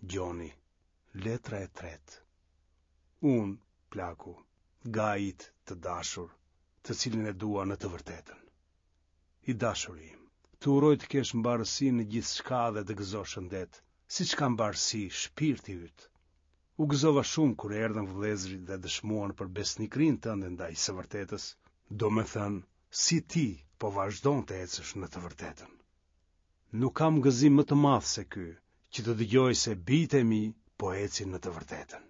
Gjoni, letra e tretë. Unë, plaku, Gajit të dashur, të cilin e dua në të vërtetën. I dashuri im, të uroj të kesh mbarësi në gjithçka dhe të gëzosh shëndet, siç ka mbarësi shpirti yt. U gëzova shumë kur erdhën vëllezërit dhe dëshmuan për besnikërinë tënde ndaj së vërtetës, domethënë, si ti po vazhdon të ecësh në të vërtetën. Nuk kam gëzim më të madh se ky, që të dëgjoj se bijtë e mi po ecin në të vërtetën.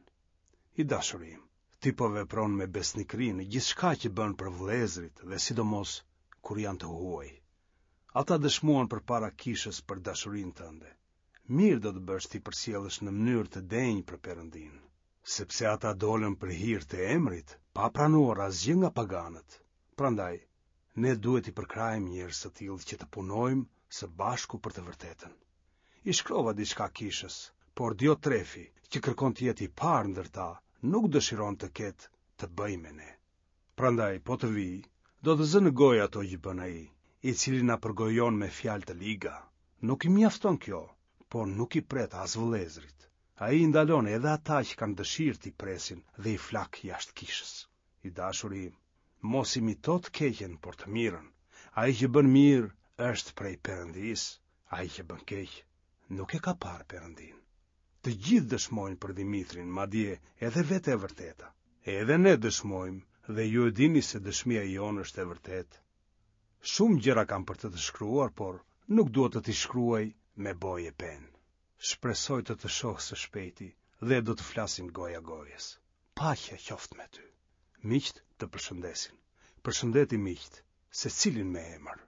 I dashuri im, ti po vepron me besnikëri në gjithçka që bën për vëllezërit dhe sidomos kur janë të huaj. Ata dëshmuan përpara kishës për dashurinë tënde. Mirë do të bësh t'i përcjellësh në mënyrë të denjë për Perëndinë, sepse ata dolën për hir të emrit, pa pranuar asgjë nga paganët. Prandaj, ne duhet t'i përkrahim njerëz të tillë që të punojmë së bashku për të vërtetën. I shkrova diçka kishës, por Diotrefi, që kërkon të jetë i parë ndër ta, nuk dëshiron të ketë të bëjë me ne. Prandaj, po të vijë, do të zë në gojë ato që bën ai, i cili na përgojon me fjalë të liga. Nuk i mjafton kjo, por nuk i pret as vëllezërit. Ai i ndalon edhe ata që kanë dëshirë t'i presin dhe i flak jashtë kishës. I dashuri im, mos imito të keqen, por të mirën. Ai që bën mirë është prej Perëndisë, ai që bën keq nuk e ka parë Perëndinë. Të gjithë dëshmojnë për Dhimitrin, madje edhe vetë e vërteta. Edhe ne dëshmojmë dhe ju e dini se dëshmia jonë është e vërtetë. Shumë gjëra kam për të të shkruar, por nuk dua të t'i shkruaj me bojë e penë. Shpresoj të të shoh së shpejti dhe do të flasim goja gojës. Paqja qoftë me ty. Miqtë të përshëndesin. Përshëndeti miqtë, secilin me emër.